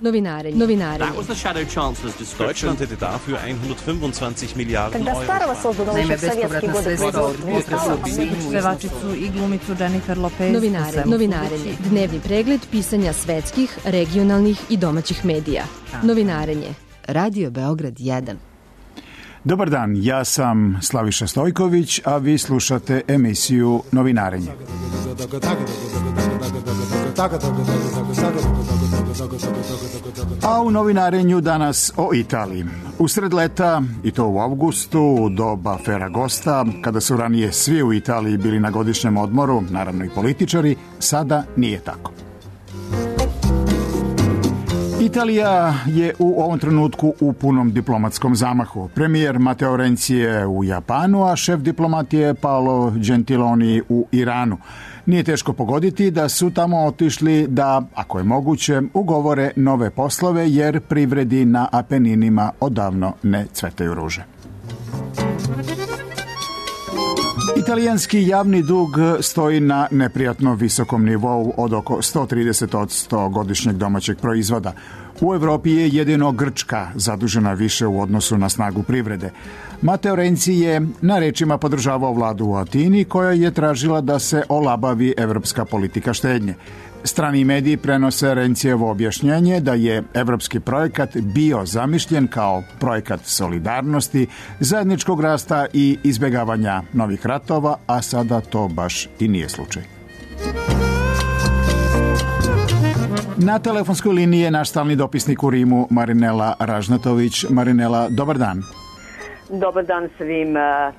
Novinarenje. Deutschland hätte dafür 125 Milijarden Когда старого созданного еще в советские годы Pevačicu i glumicu Jennifer Lopez. Novinarenje. Dnevni pregled pisanja svetskih, regionalnih i domaćih medija. Novinarenje. Radio Beograd 1. Dobar dan, ja sam Slaviša Stojković, a vi slušate emisiju Novinarenje. A u Novinarenju danas o Italiji. Usred leta, i to u avgustu, u doba Ferragosta, kada su ranije svi u Italiji bili na godišnjem odmoru, naravno i političari, sada nije tako. Italija je u ovom trenutku u punom diplomatskom zamahu. Premijer Matteo Renzi je u Japanu, a šef diplomatije je Paolo Gentiloni u Iranu. Nije teško pogoditi da su tamo otišli da, ako je moguće, ugovore nove poslove, jer privredi na Apeninima odavno ne cvetaju ruže. Italijanski javni dug stoji na neprijatno visokom nivou od oko 130% godišnjeg domaćeg proizvoda. U Evropi je jedino Grčka zadužena više u odnosu na snagu privrede. Matteo Renzi je na rečima podržavao vladu u Atini, koja je tražila da se olabavi evropska politika štednje. Strani mediji prenose Renzijevo objašnjenje da je evropski projekat bio zamišljen kao projekat solidarnosti, zajedničkog rasta i izbjegavanja novih ratova, a sada to baš i nije slučaj. Na telefonskoj liniji je naš stalni dopisnik u Rimu, Marinela Ražnatović. Marinela, dobar dan. Dobar dan svim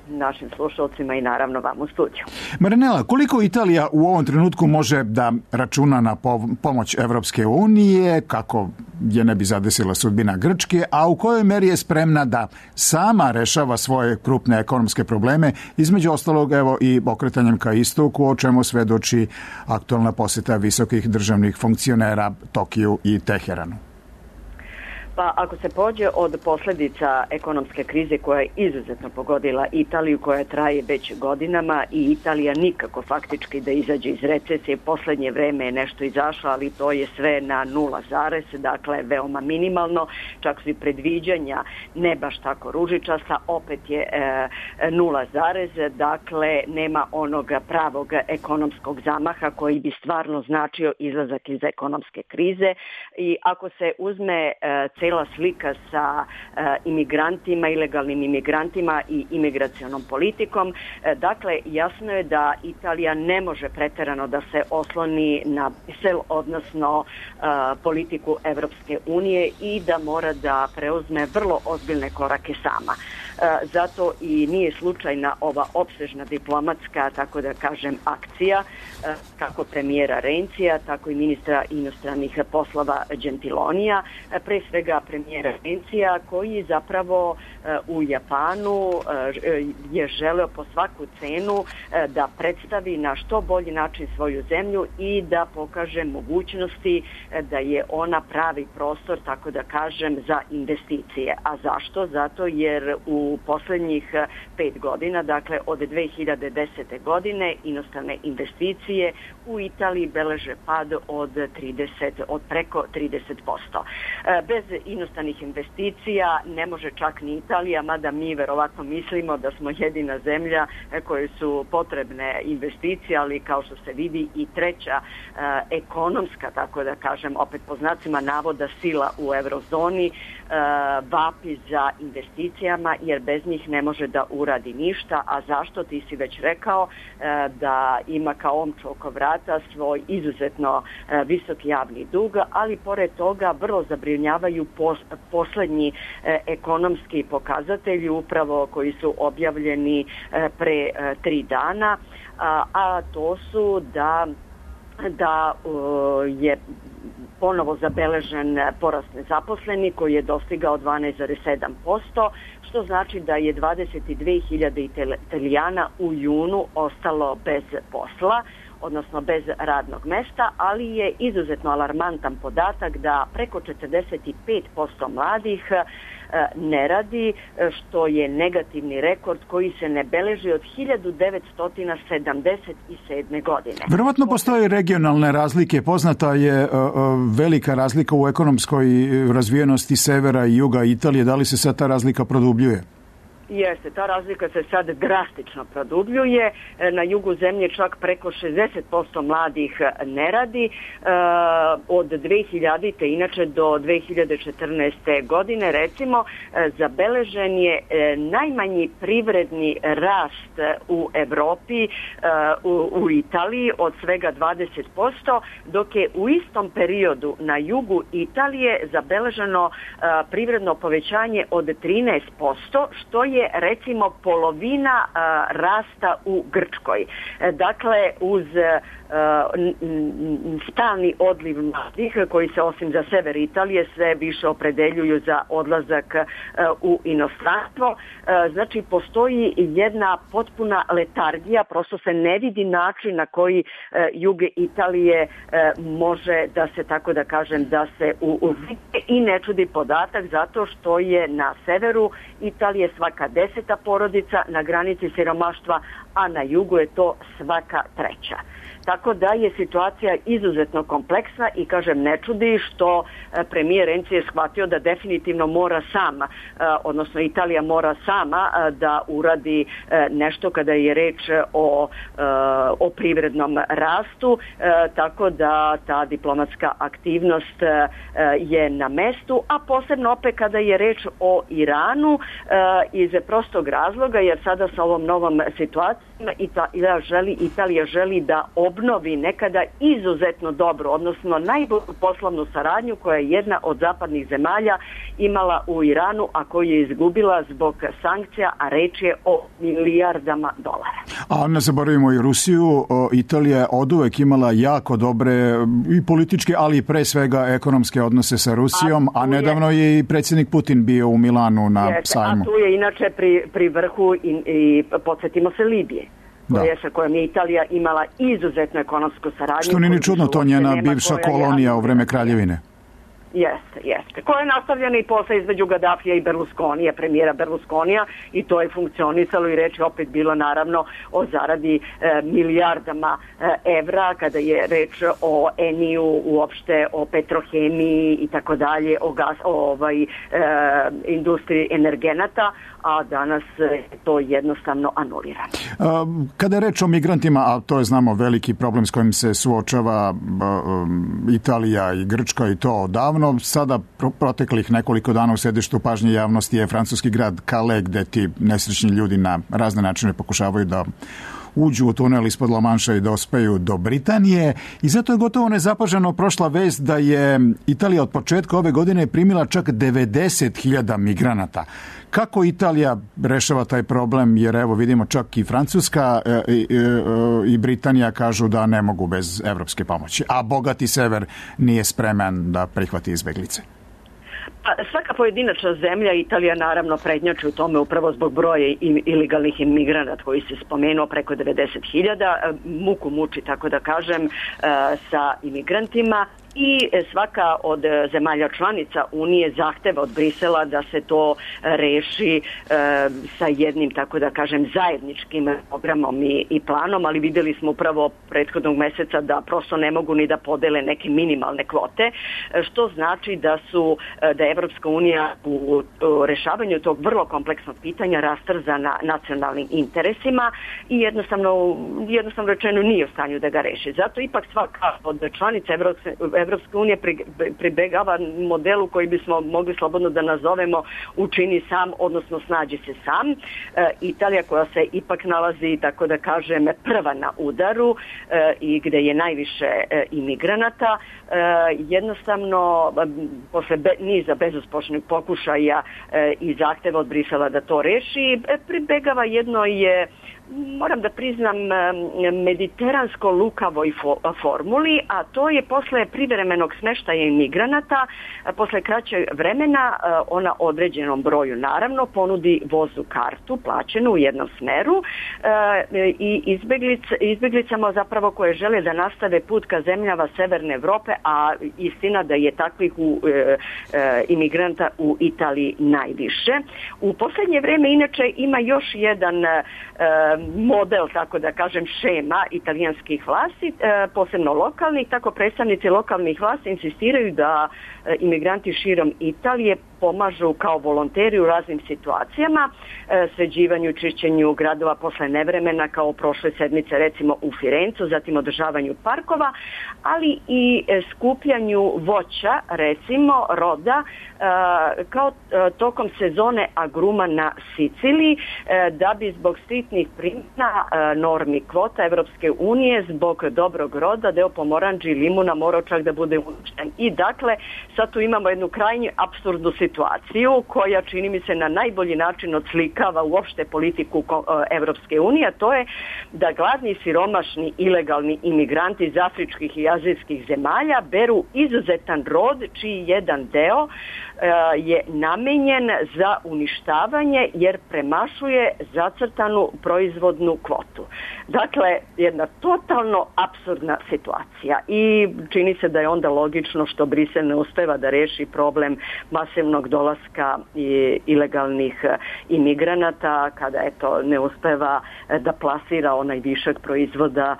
našim slušalcima i naravno vam u studiju. Marinela, koliko Italija u ovom trenutku može da računa na pomoć Evropske unije, kako je ne bi zadesila sudbina Grčke, a u kojoj meri je spremna da sama rešava svoje krupne ekonomske probleme, između ostalog evo i okretanjem ka istoku, o čemu svedoči aktualna poseta visokih državnih funkcionera Tokiju i Teheranu? Pa ako se pođe od posljedica ekonomske krize koja je izuzetno pogodila Italiju, koja traje već godinama i Italija nikako faktički da izađe iz recesije, posljednje vreme je nešto izašlo, ali to je sve na 0, dakle veoma minimalno, čak su i predviđanja ne baš tako ružičasta, opet je 0, dakle nema onog pravog ekonomskog zamaha koji bi stvarno značio izlazak iz ekonomske krize. I ako se uzme cela slika sa imigrantima, ilegalnim imigrantima i imigracionom politikom. Dakle, jasno je da Italija ne može preterano da se osloni na Brisel, odnosno politiku Evropske unije, i da mora da preuzme vrlo ozbiljne korake sama. Zato i nije slučajna ova opsežna diplomatska, tako da kažem, akcija kako premijera Renzija, tako i ministra inostranih poslova Gentilonija, pre svega premijera Renzija, koji zapravo u Japanu je želeo po svaku cenu da predstavi na što bolji način svoju zemlju i da pokaže mogućnosti da je ona pravi prostor, tako da kažem, za investicije. A zašto? Zato jer u posljednjih 5 godina, dakle od 2010. godine, inostrane investicije u Italiji beleže pad od preko 30%. Bez inostranih investicija ne može čak ni Italija, mada mi verovatno mislimo da smo jedina zemlja koje su potrebne investicije, ali kao što se vidi i treća ekonomska, tako da kažem, opet po znacima navoda, sila u eurozoni vapi za investicijama, jer bez njih ne može da uradi ništa. A zašto? Ti si već rekao da ima kao omču oko vrata svoj izuzetno visok javni dug, ali pored toga vrlo zabrinjavaju poslednji ekonomski pokazatelji, upravo koji su objavljeni pre 3 dana, a to su da je ponovo zabeležen porast nezaposlenih koji je dostigao 12,7%, što znači da je 22.000 Italijana u junu ostalo bez posla. odnosno bez radnog mesta, ali je izuzetno alarmantan podatak da preko 45% mladih ne radi, što je negativni rekord koji se ne beleži od 1977. godine. Verovatno postoje regionalne razlike. Poznata je velika razlika u ekonomskoj razvijenosti severa i juga Italije. Da li se sad ta razlika produbljuje? Jeste, ta razlika se sad drastično produbljuje. Na jugu zemlje čak preko 60% mladih ne radi. Od 2000. inače do 2014. godine recimo zabeležen je najmanji privredni rast u Evropi, u Italiji od svega 20%, dok je u istom periodu na jugu Italije zabeleženo privredno povećanje od 13%, što je recimo polovina rasta u Grčkoj. Dakle, uz stalni odliv mladih koji se osim za sever Italije sve više opredeljuju za odlazak u inostranstvo. Znači, postoji jedna potpuna letargija, prosto se ne vidi način na koji jug Italije može da se, tako da kažem, da se uvide i ne čudi podatak zato što je na severu Italije svaka 10. porodica na granici siromaštva, a na jugu je to svaka 3. Tako da je situacija izuzetno kompleksna i kažem ne čudi što premijer Renzi je shvatio da definitivno mora sama, odnosno Italija mora sama da uradi nešto kada je reč o privrednom rastu, tako da ta diplomatska aktivnost je na mestu, a posebno opet kada je reč o Iranu iz prostog razloga jer sada sa ovom novom situacijom Italija želi da obnovi nekada izuzetno dobro, odnosno najbolju poslovnu saradnju koja je jedna od zapadnih zemalja imala u Iranu, a koju je izgubila zbog sankcija, a reč je o milijardama dolara. A ne zaboravimo i Rusiju. Italija je oduvek imala jako dobre i političke, ali i pre svega ekonomske odnose sa Rusijom, a nedavno je i predsjednik Putin bio u Milanu na sajmu. A tu je inače pri vrhu i podsjetimo se Libije. Sa kojom je Italija imala izuzetnu ekonomsku saradnju. Što nije ni čudno, to njena bivša kolonija u vreme kraljevine. Jeste. Koja je nastavljena i posle između Gaddafija i Berlusconija, premijera Berlusconija, i to je funkcionisalo i reč je opet bilo naravno o zaradi milijardama evra kada je reč o Eniju, uopšte o petrohemiji i tako dalje, o industriji energenata, a danas je to jednostavno anulirano. Kada je reč o migrantima, a to je znamo veliki problem s kojim se suočava Italija i Grčka i to odavno, sada proteklih nekoliko dana u središtu pažnje javnosti je francuski grad Calais, gde ti nesrećni ljudi na razne načine pokušavaju da uđu u tunel ispod La Manša i da ospeju do Britanije. I zato je gotovo nezapaženo prošla vest da je Italija od početka ove godine primila čak 90.000 migranata. Kako Italija rešava taj problem? Jer evo vidimo čak i Francuska i Britanija kažu da ne mogu bez evropske pomoći, a bogati sever nije spreman da prihvati izbeglice. Svaka pojedinačna zemlja, Italija naravno prednjači u tome upravo zbog broja ilegalnih imigranata koji se spomenuo preko 90.000, muku muči, tako da kažem, sa imigrantima. I svaka od zemalja članica Unije zahteva od Brisela da se to reši sa jednim, tako da kažem, zajedničkim programom i planom, ali vidjeli smo upravo prethodnog meseca da prosto ne mogu ni da podele neke minimalne kvote, što znači da je Evropska unija u rešavanju tog vrlo kompleksnog pitanja rastrzana nacionalnim interesima i jednostavno rečeno nije u stanju da ga reši. Zato ipak svaka od članica Evropska unija pribegava modelu koji bismo mogli slobodno da nazovemo učini sam, odnosno snađi se sam. Italija koja se ipak nalazi, tako da kažem, prva na udaru i gde je najviše imigranata, jednostavno posle niza bezuspešnih pokušaja i zahteva od Brisela da to reši, pribegava jednoj moram da priznam, mediteransko-lukavoj formuli, a to je posle privremenog smeštaja imigranata, posle kraćeg vremena ona određenom broju naravno ponudi vozu kartu plaćenu u jednom smeru i izbeglicama zapravo koje žele da nastave put ka zemljama Severne Evrope, a istina da je takvih imigranta u Italiji najviše. U posljednje vreme inače ima još jedan model, tako da kažem, šema italijanskih vlasti, posebno lokalnih, tako predstavnici lokalnih vlasti insistiraju da imigranti širom Italije pomažu kao volonteri u raznim situacijama, sređivanju, čišćenju gradova posle nevremena, kao prošle sedmice recimo u Firencu, zatim održavanju parkova, ali i skupljanju voća, recimo roda, kao tokom sezone agruma na Siciliji, da bi zbog striktnih primjena normi kvota Evropske unije, zbog dobrog roda, deo pomoranđi i limuna morao čak da bude uništen. I dakle, sad tu imamo jednu krajnje apsurdnu situaciju koja, čini mi se, na najbolji način odslikava uopšte politiku Evropske unije, a to je da gladni, siromašni, ilegalni imigranti iz afričkih i azijskih zemalja beru izuzetan rod čiji jedan deo je namenjen za uništavanje jer premašuje zacrtanu proizvodnu kvotu. Dakle, jedna totalno apsurdna situacija i čini se da je onda logično što Brisel ne uspeva da reši problem masivnog dolaska ilegalnih imigranata, kada ne uspeva da plasira onaj višak proizvoda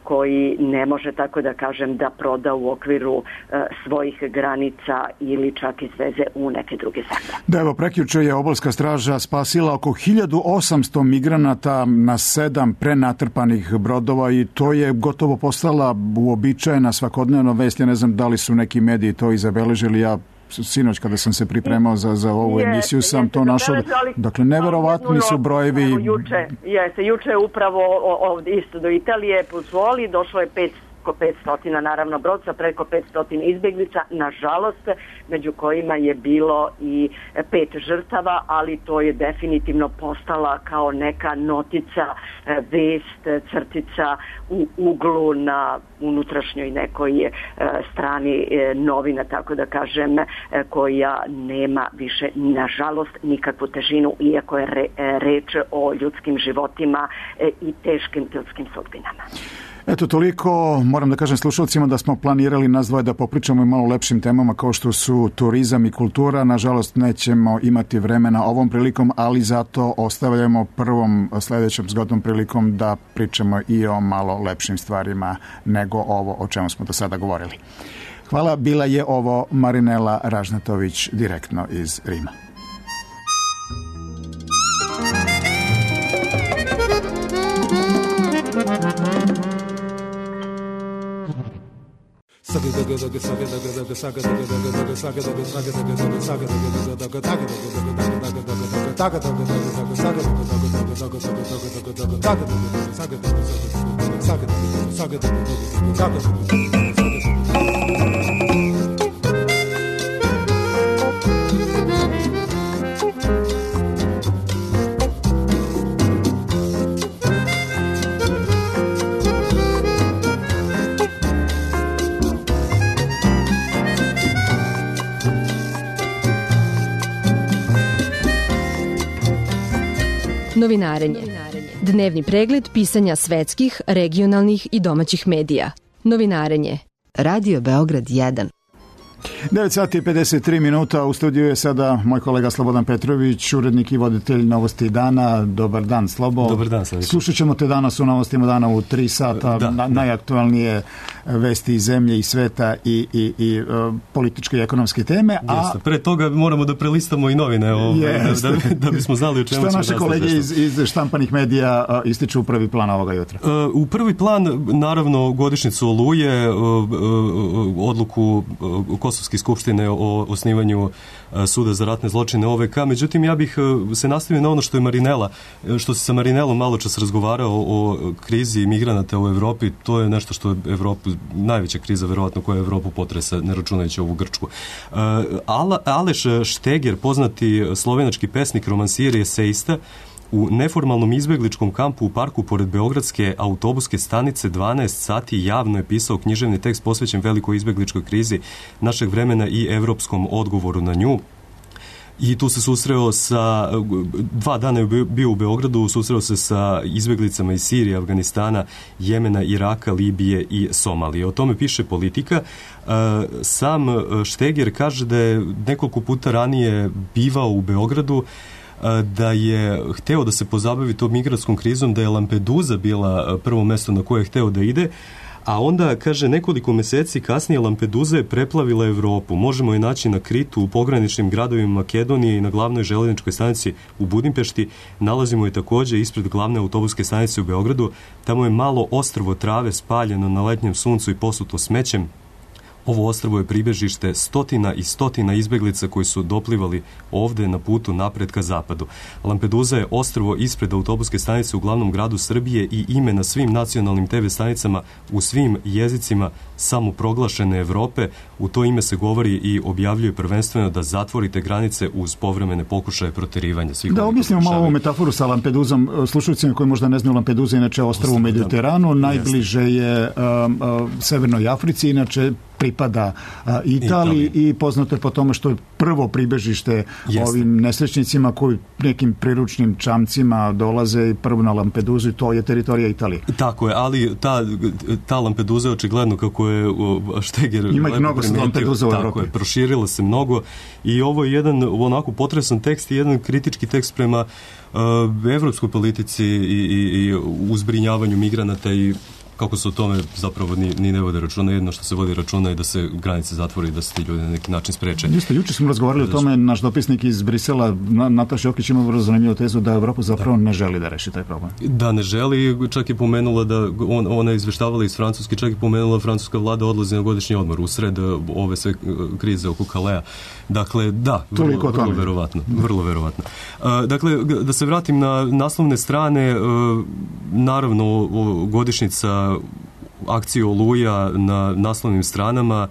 koji ne može, tako da kažem, da proda u okviru svojih granica ili čak izveze u neke druge zemlje. Da, evo, prekjuče je obalska straža spasila oko 1800 migranata na 7 prenatrpanih brodova i to je gotovo postala uobičajena svakodnevna vest. Ja ne znam da li su neki mediji to i zabeležili. Ja sinoć kada sam se pripremao za ovu emisiju sam to našao. Dakle, neverovatni su brojevi. Juče upravo ovdje isto do Italije pozvoli, došlo je 500, naravno brodca, preko 500 izbjeglica, nažalost, među kojima je bilo i 5 žrtava, ali to je definitivno postala kao neka notica, vest, crtica u uglu na unutrašnjoj nekoj strani novina, tako da kažem, koja nema više, nažalost, nikakvu težinu, iako je reč o ljudskim životima i teškim ljudskim sudbinama. Eto, toliko. Moram da kažem slušalcima da smo planirali nas dvoje da popričamo i malo lepšim temama kao što su turizam i kultura. Nažalost, nećemo imati vremena ovom prilikom, ali zato ostavljamo prvom sledećom zgodnom prilikom da pričamo i o malo lepšim stvarima nego ovo o čemu smo do sada govorili. Hvala, bila je ovo Marinela Ražnatović direktno iz Rima. Novinarenje. Dnevni pregled pisanja svetskih, regionalnih i domaćih medija. Novinarenje. Radio Beograd 1. 9 sati i 53 minuta. U studiju je sada moj kolega Slobodan Petrović, urednik i voditelj Novosti dana. Dobar dan, Slobo. Dobar dan, Slavić. Slušat ćemo te danas u Novostima dana u 3 sata. Najaktualnije vesti iz zemlje i sveta i političke i ekonomske teme. Jeste. Pre toga moramo da prelistamo i novine da bismo znali o čemu ćemo. Što naše kolege iz štampanih medija ističu u prvi plan ovoga jutra? U prvi plan, naravno, godišnjicu Oluje, odluku Kosovske skupštine o osnivanju suda za ratne zločine OVK. Međutim, ja bih se nastavio na ono što se sa Marinelom malo čas razgovarao o krizi migranata u Evropi. To je nešto što je Evropu, najveća kriza verovatno koja Evropu potresa, ne računajući ovu Grčku. Aleš Šteger, poznati slovenački pesnik, romansir i esejista, u neformalnom izbegličkom kampu u parku pored Beogradske autobuske stanice 12 sati javno je pisao književni tekst posvećen velikoj izbegličkoj krizi našeg vremena i evropskom odgovoru na nju. I tu se susreo sa, 2 dana je bio u Beogradu, susreo se sa izbeglicama iz Sirije, Afganistana, Jemena, Iraka, Libije i Somalije. O tome piše Politika. Sam Šteger kaže da je nekoliko puta ranije bivao u Beogradu, da je hteo da se pozabavi tom migratskom krizom, da je Lampedusa bila prvo mesto na koje je hteo da ide, a onda, kaže, nekoliko meseci kasnije Lampedusa je preplavila Evropu. Možemo je naći na Kritu, u pograničnim gradovima Makedonije i na glavnoj železničkoj stanici u Budimpešti. Nalazimo je takođe ispred glavne autobuske stanice u Beogradu. Tamo je malo ostrvo trave spaljeno na letnjem suncu i posuto smećem. Ovo ostrvo je pribežište stotina i stotina izbeglica koji su doplivali ovde na putu napred ka zapadu. Lampedusa je ostrvo ispred autobuske stanice u glavnom gradu Srbije i ime na svim nacionalnim TV stanicama u svim jezicima samoproglašene Evrope. U to ime se govori i objavljuje prvenstveno da zatvorite granice uz povremene pokušaje proterivanja. Da objasnimo malo ovu metaforu sa Lampedusom. Slušalcima koji možda ne znaju, Lampedusa inače ostrvo u Mediteranu, najbliže je Severnoj Africi, inače pripada Italiji i poznato je po tome što je prvo pribežište ovim nesrećnicima koji nekim priručnim čamcima dolaze i prvo na Lampedusu i to je teritorija Italije. Tako je, ali ta Lampedusa je očigledno, kako je Šteger ima ih mnogo sa Lampedusa u Evropi. Proširila se mnogo i ovo je jedan onako potresan tekst i jedan kritički tekst prema evropskoj politici i uzbrinjavanju migranata i kako se o tome zapravo ni ne vode računa. Jedno što se vodi računa je da se granice zatvore i da se ti ljudi na neki način spreče. Jeste, juče smo razgovarali o tome, naš dopisnik iz Brisela, Nataša Jokić, ima vrlo zanimljivu tezu da Evropa zapravo ne želi da reši taj problem. Da, ne želi, čak je pomenula da ona je izveštavala iz Francuske, čak je pomenula francuska vlada odlazi na godišnji odmor usred ove sve krize oko Kalea. Dakle, da, vrlo verovatno. Dakle, da se vratim na naslovne strane, naravno godišnjica akcije Oluja na naslovnim stranama.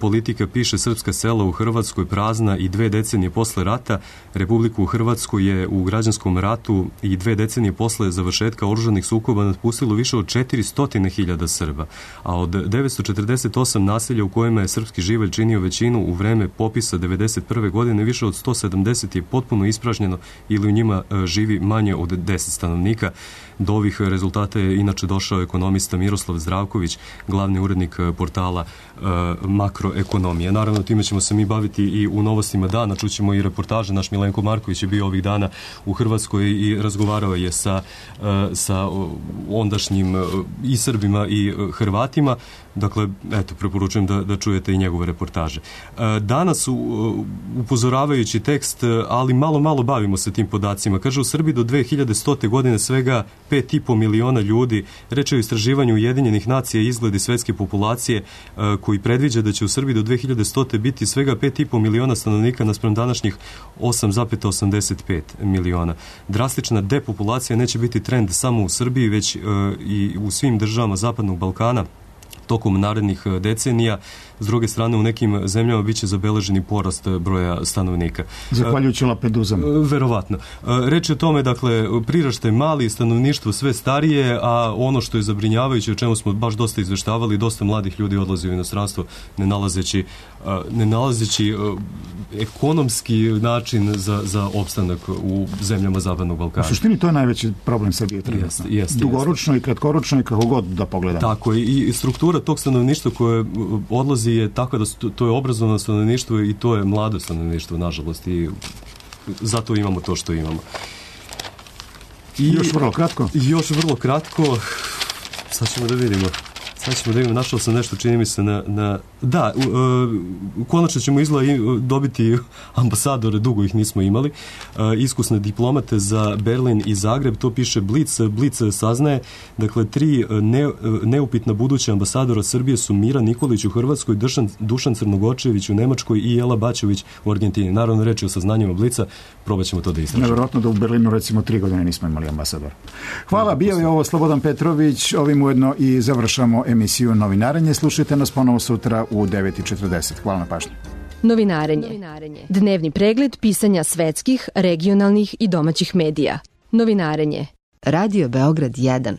Politika piše: srpska sela u Hrvatskoj prazna i 2 decenije posle rata. Republiku u Hrvatskoj je u građanskom ratu i 2 decenije posle završetka oružanih sukoba napustilo više od 400.000 Srba, a od 948 naselja u kojima je srpski živalj činio većinu u vreme popisa 1991. godine, više od 170 je potpuno ispražnjeno ili u njima živi manje od 10 stanovnika. Do ovih rezultata je inače došao ekonomista Miroslav Zdravković, glavni urednik portala Makroekonomija. Naravno, time ćemo se mi baviti i u novostima dana. Čućemo i reportaže. Naš Milenko Marković je bio ovih dana u Hrvatskoj i razgovarao je sa ondašnjim i Srbima i Hrvatima. Dakle, eto, preporučujem da čujete i njegove reportaže. Danas, upozoravajući tekst, ali malo bavimo se tim podacima. Kaže, u Srbiji do 2100. godine svega 5,5 miliona ljudi. Reč je o istraživanju Ujedinjenih nacija i izgledi svetske populacije koji predviđa da će u Srbiji do 2100. biti svega 5,5 miliona stanovnika naspram današnjih 8,85 miliona. Drastična depopulacija neće biti trend samo u Srbiji, već i u svim državama Zapadnog Balkana tokom narednih decenija. S druge strane, u nekim zemljama biće zabeleženi porast broja stanovnika. Zahvaljujući Lampedusama. Verovatno. Reč je o tome, dakle, priraštaj mali, stanovništvo sve starije, a ono što je zabrinjavajuće, o čemu smo baš dosta izveštavali, dosta mladih ljudi odlazi u inostranstvo ne nalazeći ekonomski način za opstanak u zemljama Zapadnog Balkana. U suštini to je najveći problem Srbije trenutno. Dugoročno i kratkoročno i kako god da pogledamo. Tako, i struktura tog stanovništva koje odlazi je tako da to je obrazovano stanovništvo i to je mlado stanovništvo, nažalost, i zato imamo to što imamo. Još vrlo kratko. Sad ćemo da vidimo, našao sam nešto, čini mi se da, konačno ćemo dobiti ambasadore, dugo ih nismo imali, iskusne diplomate za Berlin i Zagreb, to piše Blic saznaje, dakle 3 neupitna buduća ambasadora Srbije su Mira Nikolić u Hrvatskoj, Dušan Crnogočević u Nemačkoj i Jela Bačević u Argentini. Naravno, reč je o saznanjima Blica, probat ćemo to da istražimo. Nevjerojatno da u Berlinu recimo 3 godine nismo imali ambasador. Hvala, bio je ovo Slobodan Petrović, ovim ujedno i završamo emisiju Novinarenje. Slušajte nas ponovo sutra u 9:40. Hvala na pažnji. Novinarenje. Dnevni pregled pisanja svetskih, regionalnih i domaćih medija. Novinarenje. Radio Beograd 1.